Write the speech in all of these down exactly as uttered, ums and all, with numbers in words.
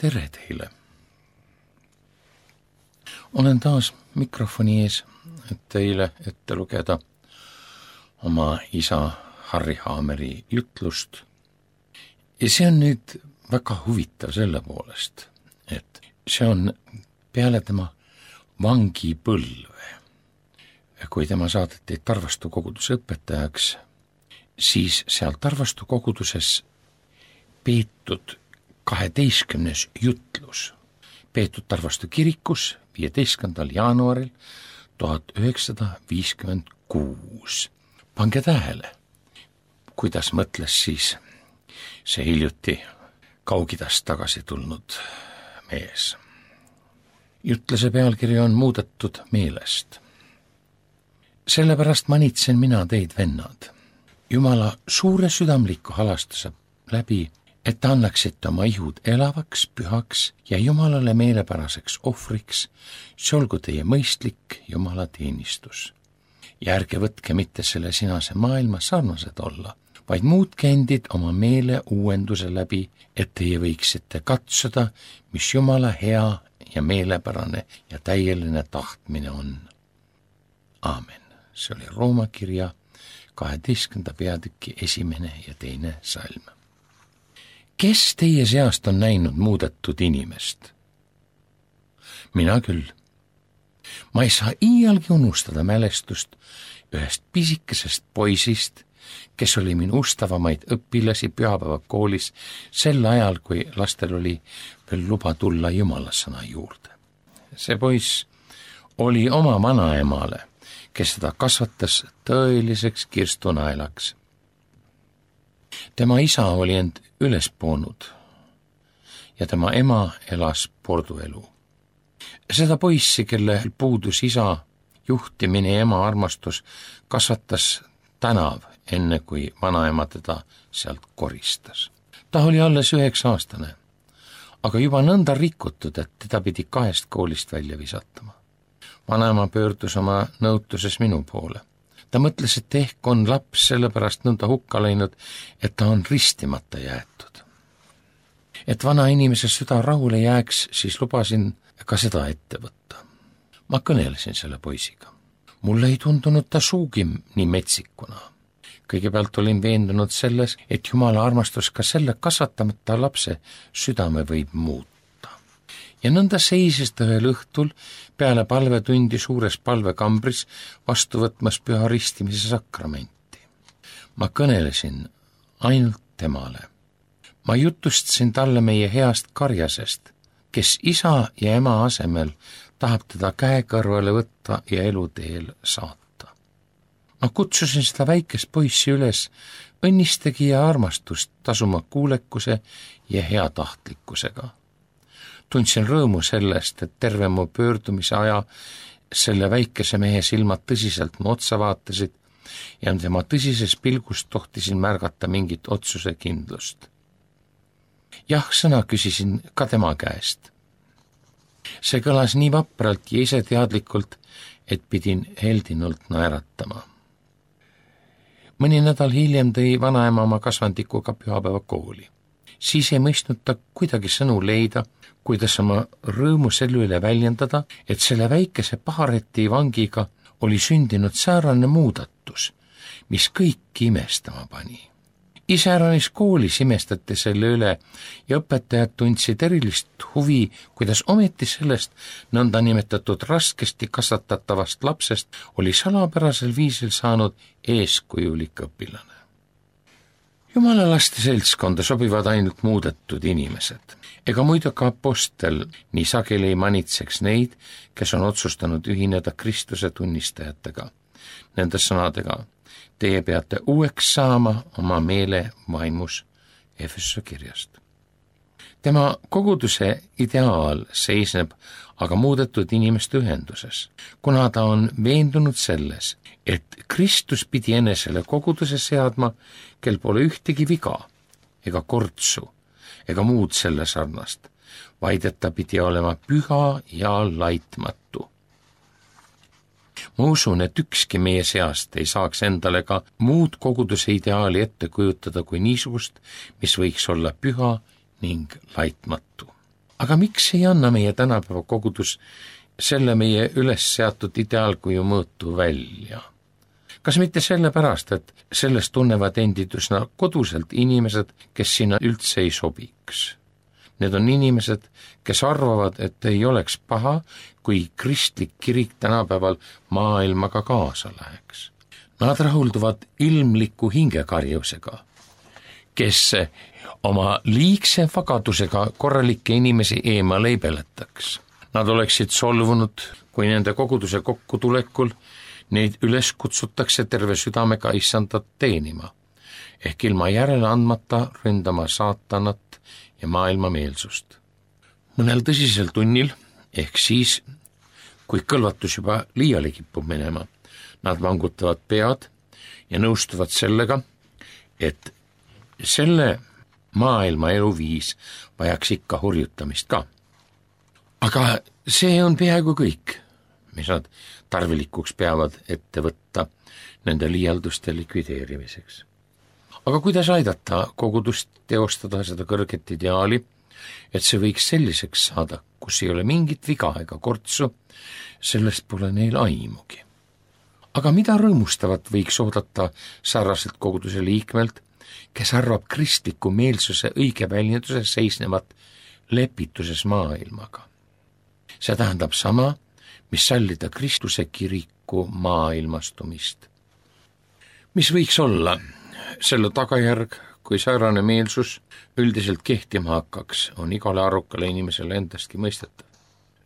tere teile! Olen taas mikrofoni ees, et teile ette lugeda oma isa Harry Haameri jutlust. Ja see on nüüd väga huvitav selle poolest, et see on peale tema vangipõlve. Kui tema saadeti Tarvastu koguduse õpetajaks, siis seal Tarvastu koguduses peetud kaheteistkümnes jutlus, peetud Tarvastu kirikus viieteistkümnendal jaanuaril tuhat üheksasada viiskümmend kuus. Pange tähele, kuidas mõtles siis see hiljuti Kaug-Idast tagasi tulnud mees. Jutluse pealkiri on muudetud meelest. Sellepärast manitsen mina teid, vennad, Jumala suure südamliku halastuse läbi, et ta annaksite oma ihud elavaks, pühaks ja Jumalale meelepäraseks ohvriks, see olgu teie mõistlik Jumala teenistus. Ja ärge võtke mitte selle sinase maailma sarnased olla, vaid muutke endid oma meele uuenduse läbi, et teie võiksite katsuda, mis Jumala hea ja meelepärane ja täieline tahtmine on. Aamen. See oli Rooma kirja kaheteistkümnenda peatüki esimene ja teine salm. Kes teie seast on näinud muudetud inimest? Mina küll. Ma ei saa iialgi unustada mälestust ühest pisikesest poisist, kes oli minu ustavamaid õpilasi pühapäevakoolis sel ajal, kui lastel oli veel luba tulla Jumalasõna juurde. See poiss oli oma vanaemale, kes seda kasvatas tõeliseks kirstunaelaks. Tema isa oli end üles poonud ja tema ema elas porduelu. Seda poissi, kelle puudus isa juhtimine ja ema armastus, kasvatas tänav, enne kui vanaema teda sealt koristas. Ta oli alles üheksa aastane, aga juba nõnda rikutud, et teda pidi kahest koolist välja visatama. Vanaema pöördus oma nõutuses minu poole. Ta mõtles, et ehk on laps sellepärast nõnda hukka läinud, et ta on ristimata jäetud. Et vana inimese süda rahule jääks, siis lubasin ka seda ette võtta. Ma kõnelesin selle poisiga. Mulle ei tundunud ta suugi nii metsikuna. Kõigepealt olin veendunud selles, et Jumala armastus ka selle kasvatamata lapse südame võib muuta. Ja nõnda seisis ta ühel õhtul peale palvetundi suures palvekambris vastu võtmas püha ristimise sakramenti. Ma kõnelesin ainult temale. Ma jutustasin talle meie heast karjasest, kes isa ja ema asemel tahab teda käe kõrvale võtta ja eluteel saata. Ma kutsusin seda väikest poissi üles õnnistagi ja armastust tasuma kuulekuse ja heatahtlikkusega. Tundsin rõõmu sellest, et terve mu pöördumise aja selle väikese mehe silmad tõsiselt mu otsa vaatasid ja tema tõsises pilgus tohtisin märgata mingit otsuse kindlust. Jah, sõna küsisin ka tema käest. See kõlas nii vapralt ja ise teadlikult, et pidin heldinult naeratama. Mõni nädal hiljem tõi vanaema oma kasvandikuga pühapäeva kooli. Siis ei mõistnud ta kuidagi sõnu leida, kuidas oma rõõmu selle üle väljendada, et selle väikese pahareti vangiga oli sündinud säärane muudatus, mis kõiki imestama pani. Iseäranis koolis imestati selle üle ja õpetajad tundsid erilist huvi, kuidas ometi sellest nõnda nimetatud raskesti kasvatatavast lapsest oli salapärasel viisil saanud eeskujulik õpilane. Jumala laste seltskonda sobivad ainult muudetud inimesed. Ega muidu ka apostel nii sageli ei manitseks neid, kes on otsustanud ühineda Kristuse tunnistajatega. Nende sõnadega, teie peate uueks saama oma meele vaimus Efesuse kirjast. Tema koguduse ideaal seisneb aga muudetud inimeste ühenduses, kuna ta on veendunud selles, et Kristus pidi enesele koguduse seadma, kel pole ühtegi viga ega kortsu ega muud selle sarnast, vaid et ta pidi olema püha ja laitmatu. Ma usun, et ükski meie seast ei saaks endale ka muud koguduse ideaali ette kujutada kui niisugust, mis võiks olla püha ning laitmatu. aga miks ei anna meie tänapäeva kogudus selle meie üles seatud ideaalkuju mõõtu välja? Kas mitte sellepärast, et sellest tunnevad endid üsna koduselt inimesed, kes sinna üldse ei sobiks? Need on inimesed, kes arvavad, et ei oleks paha, kui kristlik kirik tänapäeval maailmaga kaasa läheks. Nad rahulduvad ilmliku hingekarjusega, kes oma liigse vagadusega korralikke inimesi eemale ei peletaks. Nad oleksid solvunud, kui nende koguduse kokkutulekul neid üles kutsutakse terve südamega issandat teenima, ehk ilma järele andmata ründama saatanat ja maailmameelsust. Mõnel tõsisel tunnil, ehk siis, kui kõlvatus juba liiale kipub minema, nad vangutavad pead ja nõustuvad sellega, et selle maailma eluviis vajaks ikka hurjutamist ka. Aga see on peaaegu kõik, mis nad tarvilikuks peavad ette võtta nende liialduste likvideerimiseks. Aga kuidas aidata kogudust teostada seda kõrget ideaali, et see võiks selliseks saada, kus ei ole mingit viga ega kortsu, sellest pole neil aimugi. Aga mida rõõmustavat võiks oodata sarnaselt koguduse liikmelt, kes arvab kristliku meelsuse õige väljenduses seisnevat lepituses maailmaga? See tähendab sama, mis sallida Kristuse kiriku maailmastumist. Mis võiks olla selle tagajärg, kui säärane meelsus üldiselt kehtima hakkaks, on igale arukale inimesele endastki mõistetav.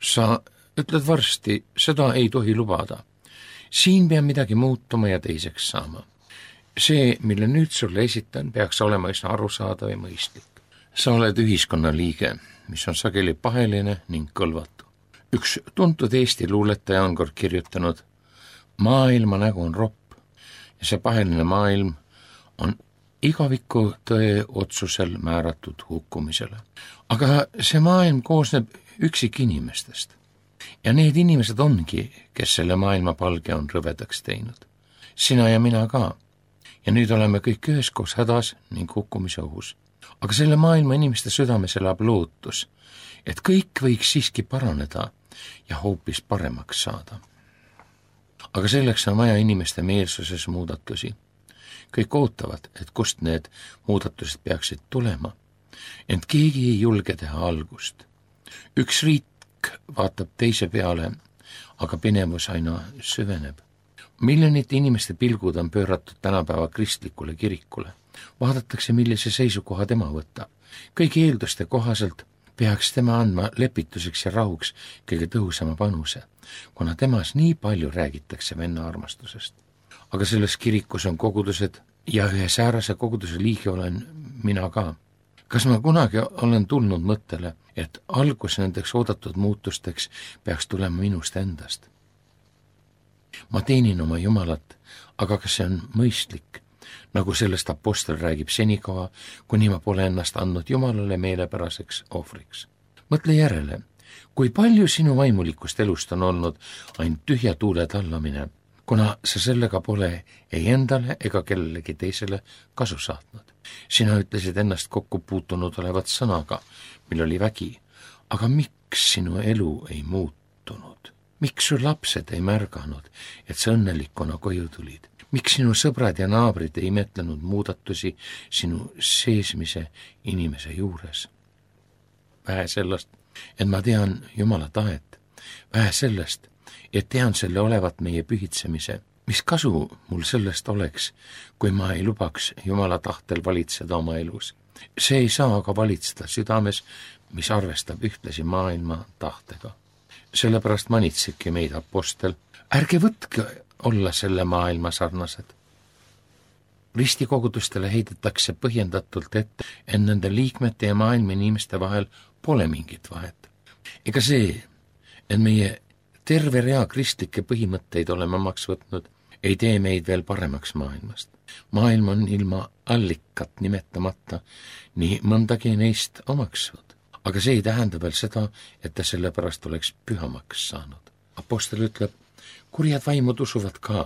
Sa ütled varsti, seda ei tohi lubada. Siin peab midagi muutuma ja teiseks saama. See, mille nüüd sulle esitan, peaks olema üsna arusaadav ja mõistlik. Sa oled ühiskonna liige, mis on sageli paheline ning kõlvatu. Üks tuntud Eesti luuletaja on kord kirjutanud, maailma nägu on ropp ja see paheline maailm on igaviku tõe otsusel määratud hukkumisele. Aga see maailm koosneb üksik inimestest ja need inimesed ongi, kes selle maailma palge on rõvedaks teinud. Sina ja mina ka. Ja nüüd oleme kõik üheskoos hädas ning hukkumise ohus. Aga selle maailma inimeste südames elab lootus, et kõik võiks siiski paraneda ja hoopis paremaks saada. Aga selleks on vaja inimeste meelsuses muudatusi. Kõik ootavad, et kust need muudatused peaksid tulema, ent keegi ei julge teha algust. Üks riik vaatab teise peale, aga pinevus aina süveneb. Miljonite inimeste pilgud on pööratud tänapäeva kristlikule kirikule. Vaadatakse, millise seisukoha tema võtab. Kõigi eelduste kohaselt peaks tema andma lepituseks ja rahuks kõige tõhusama panuse, kuna temas nii palju räägitakse venna armastusest. Aga selles kirikus on kogudused ja ühe säärase koguduse liige olen mina ka. Kas ma kunagi olen tulnud mõttele, et algus nendeks oodatud muutusteks peaks tulema minust endast? Ma teenin oma Jumalat, aga kas see on mõistlik, nagu sellest apostel räägib senikaua, kuni ma pole ennast andnud Jumalale meelepäraseks ohvriks. Mõtle järele, kui palju sinu vaimulikust elust on olnud ainult tühja tuule tallamine, kuna sa sellega pole ei endale ega kellelegi teisele kasu saatnud. Sina ütlesid ennast kokku puutunud olevat sõnaga, mil oli vägi, aga miks sinu elu ei muutunud? Miks su lapsed ei märganud, et sa õnnelikuna koju tulid? Miks sinu sõbrad ja naabrid ei imetlenud muudatusi sinu seesmise inimese juures? Vähe sellest, et ma tean Jumala tahet. Vähe sellest, et tean selle olevat meie pühitsemise. Mis kasu mul sellest oleks, kui ma ei lubaks Jumala tahtel valitseda oma elus? See ei saa aga valitseda südames, mis arvestab ühtlasi maailma tahtega. Sellepärast manitsebki meid apostel. Ärge võtke olla selle maailma sarnased. Ristikogudustele heidetakse põhjendatult ette, et nende liikmete ja maailma inimeste vahel pole mingit vahet. Ega see, et meie terve rea kristlikke põhimõtteid oleme omaks võtnud, ei tee meid veel paremaks maailmast. Maailm on ilma allikat nimetamata nii mõndagi neist omaks võtnud. Aga see ei tähenda veel seda, et ta selle pärast oleks pühamaks saanud. Apostel ütleb, kurjad vaimud usuvad ka,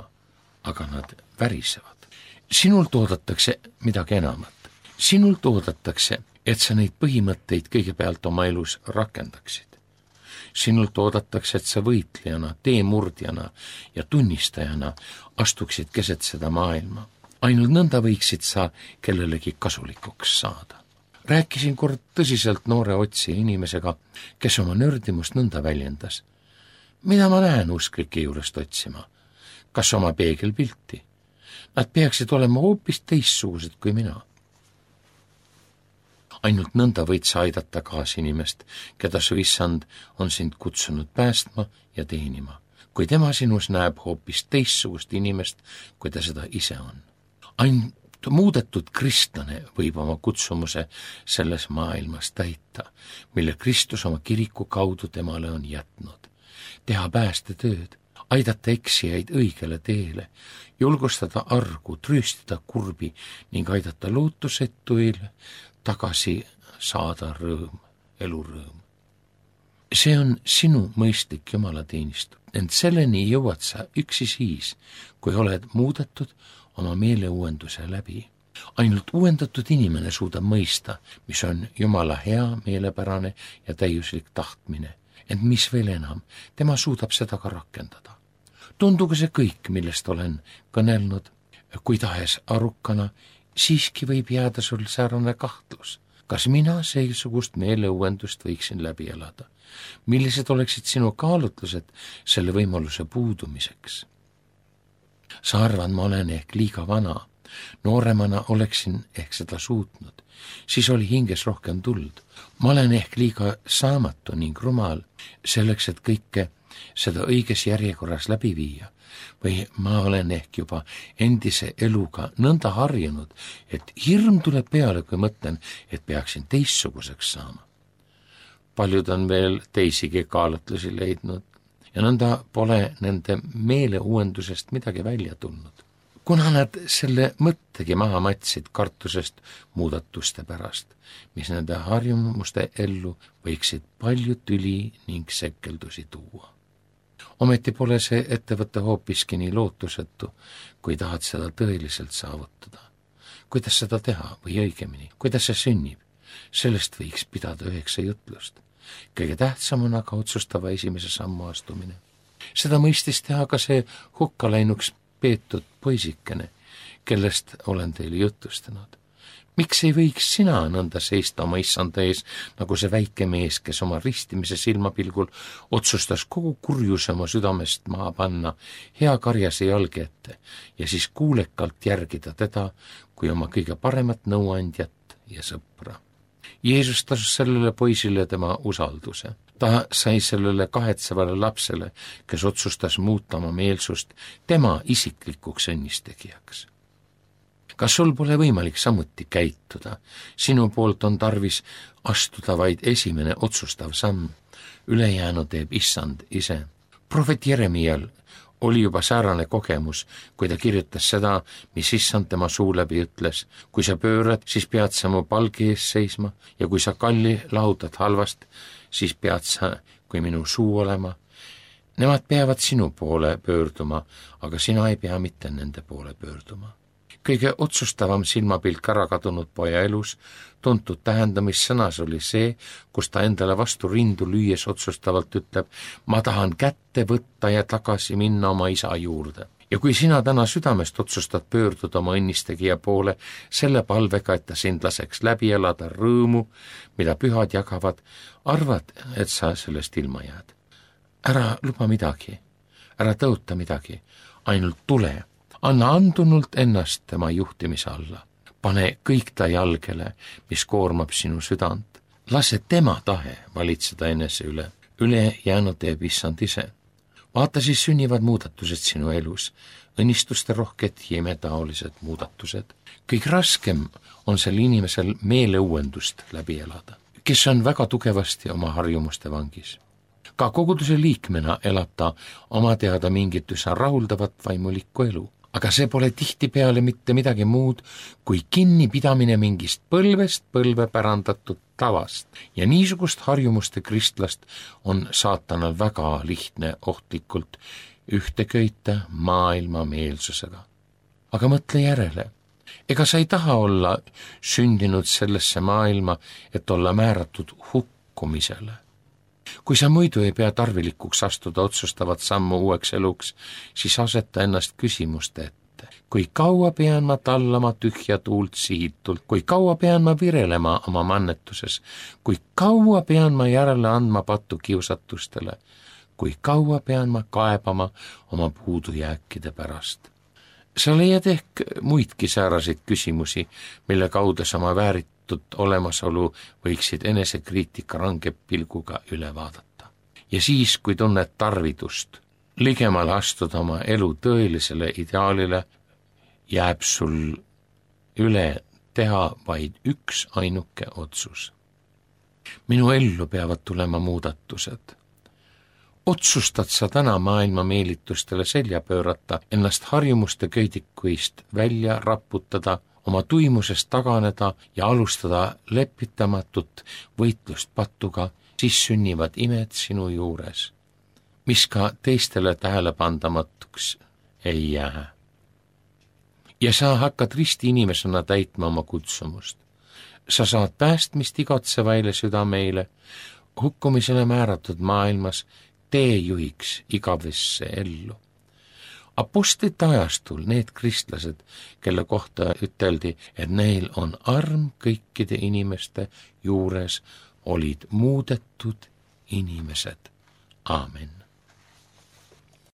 aga nad värisevad. Sinult oodatakse midagi enamat. Sinult oodatakse et sa neid põhimõtteid kõigepealt oma elus rakendaksid. Sinult oodatakse, et sa võitlejana, teemurdjana ja tunnistajana astuksid keset seda maailma. Ainult nõnda võiksid sa kellelegi kasulikuks saada. Rääkisin kord tõsiselt noore otsija inimesega, kes oma nördimust nõnda väljendas. Mida ma näen usklike juurest otsima? Kas oma peegelpilti? Nad peaksid olema hoopis teistsugused kui mina. Ainult nõnda võid sa aidata kaasinimest, keda su issand on sind kutsunud päästma ja teenima, kui tema sinus näeb hoopis teistsugust inimest, kui ta seda ise on. Ainult muudetud kristlane võib oma kutsumuse selles maailmas täita, mille Kristus oma kiriku kaudu temale on jätnud. Teha päästetööd, aidata eksijaid õigele teele, julgustada argu, trööstada kurbi ning aidata lootusetuile tagasi saada rõõm, elurõõm. See on sinu mõistlik jumalateenistus, ent selleni jõuad sa üksi siis, kui oled muudetud oma meeleuuenduse läbi. Ainult uuendatud inimene suudab mõista, mis on Jumala hea, meelepärane ja täiuslik tahtmine, ent mis veel enam, tema suudab seda ka rakendada. Tundugu see kõik, millest olen kõnelnud, kui tahes arukana, siiski võib jääda sul säärane kahtlus. Kas mina seesugust meeleuuendust võiksin läbi elada? Millised oleksid sinu kaalutlused selle võimaluse puudumiseks? Sa arvad, ma olen ehk liiga vana. Nooremana oleksin ehk seda suutnud. Siis oli hinges rohkem tuld. Ma olen ehk liiga saamatu ning rumal selleks, et kõike seda õiges järjekorras läbi viia. Või ma olen ehk juba endise eluga nõnda harjunud, et hirm tuleb peale, kui mõtlen, et peaksin teistsuguseks saama. Paljud on veel teisigi kaalutlusi leidnud ja nõnda pole nende meeleuuendusest midagi välja tulnud. Kuna nad selle mõttegi maha matsid kartusest muudatuste pärast, mis nende harjumuste ellu võiksid palju tüli ning sekkeldusi tuua. Ometi pole see ettevõte hoopiski nii lootusetu, kui tahad seda tõeliselt saavutada. Kuidas seda teha või õigemini, kuidas see sünnib? Sellest võiks pidada üheksa jutlust. Kõige tähtsam on aga otsustava esimese sammu astumine. Seda mõistis teha ka see hukkaläinuks peetud poisikene, kellest olen teile jutustanud. Miks ei võiks sina nõnda seista oma issanda ees, nagu see väike mees, kes oma ristimise silmapilgul otsustas kogu kurjuse oma südamest maha panna hea karjase jalge ette ja siis kuulekalt järgida teda kui oma kõige paremat nõuandjat ja sõpra. Jeesus tasus sellele poisile tema usalduse. Ta sai sellele kahetsevale lapsele, kes otsustas muuta oma meelsust, tema isiklikuks õnnistegijaks. Kas sul pole võimalik samuti käituda? Sinu poolt on tarvis astuda vaid esimene otsustav samm. Ülejäänu teeb issand ise. Prohvet Jeremial oli juba säärane kogemus, kui ta kirjutas seda, mis issand tema suu läbi ütles. Kui sa pöörad, siis pead sa mu palgi ees seisma ja kui sa kalli lahutad halvast, siis pead sa kui minu suu olema. Nemad peavad sinu poole pöörduma, aga sina ei pea mitte nende poole pöörduma. Kõige otsustavam silmapilk ära kadunud poja elus tuntud tähendamissõnas oli see, kus ta endale vastu rindu lüües otsustavalt ütleb, ma tahan kätte võtta ja tagasi minna oma isa juurde. Ja kui sina täna südamest otsustad pöörduda oma õnnistegija poole selle palvega, et ta sind laseks läbi elada rõõmu, mida pühad jagavad, arvad, et sa sellest ilma jääd. Ära luba midagi, ära tõota midagi, ainult tule. Anna andunult ennast tema juhtimise alla. Pane kõik ta jalgele, mis koormab sinu südant. Lase tema tahe valitseda enese üle. Üle jäänud teeb issand ise. Vaata, siis sünnivad muudatused sinu elus. Õnnistuste rohked ja imetaolised muudatused. Kõik raskem on sel inimesel meeleuuendust läbi elada, kes on väga tugevasti oma harjumuste vangis. Ka koguduse liikmena elab ta oma teada mingit üsna rahuldavat vaimulikku elu. Aga see pole tihtipeale mitte midagi muud kui kinnipidamine mingist põlvest põlve pärandatud tavast. Ja niisugust harjumuste kristlast on saatanal väga lihtne ohtlikult ühte köita maailma meelsusega. Aga mõtle järele, ega sa ei taha olla sündinud sellesse maailma, et olla määratud hukkumisele. Kui sa muidu ei pea tarvilikuks astuda otsustavat sammu uueks eluks, siis aseta ennast küsimuste ette. Kui kaua pean ma tallama tühja tuult sihitult, kui kaua pean ma virelema oma mannetuses, kui kaua pean ma järele andma pattu kiusatustele, kui kaua pean ma kaebama oma puudujääkide pärast. Sa leiad ehk muidki sääraseid küsimusi, mille kaudu sa oma vääritud olemasolu võiksid enesekriitika range pilguga üle vaadata. Ja siis, kui tunned tarvidust ligemale astuda oma elu tõelisele ideaalile, jääb sul üle teha vaid üks ainuke otsus. Minu ellu peavad tulema muudatused. Otsustad sa täna maailma meelitustele selja pöörata, ennast harjumuste köidikuist välja raputada, oma tuimusest taganeda ja alustada lepitamatut võitlust patuga, siis sünnivad imed sinu juures, mis ka teistele tähelepandamatuks ei jää. Ja sa hakkad risti inimesena täitma oma kutsumust. Sa saad päästmist igatsevaile südameile, hukkumisele määratud maailmas teejuhiks igavesse ellu. Apostlite ajastul need kristlased, kelle kohta üteldi, et neil on arm kõikide inimeste juures, olid muudetud inimesed. Aamen.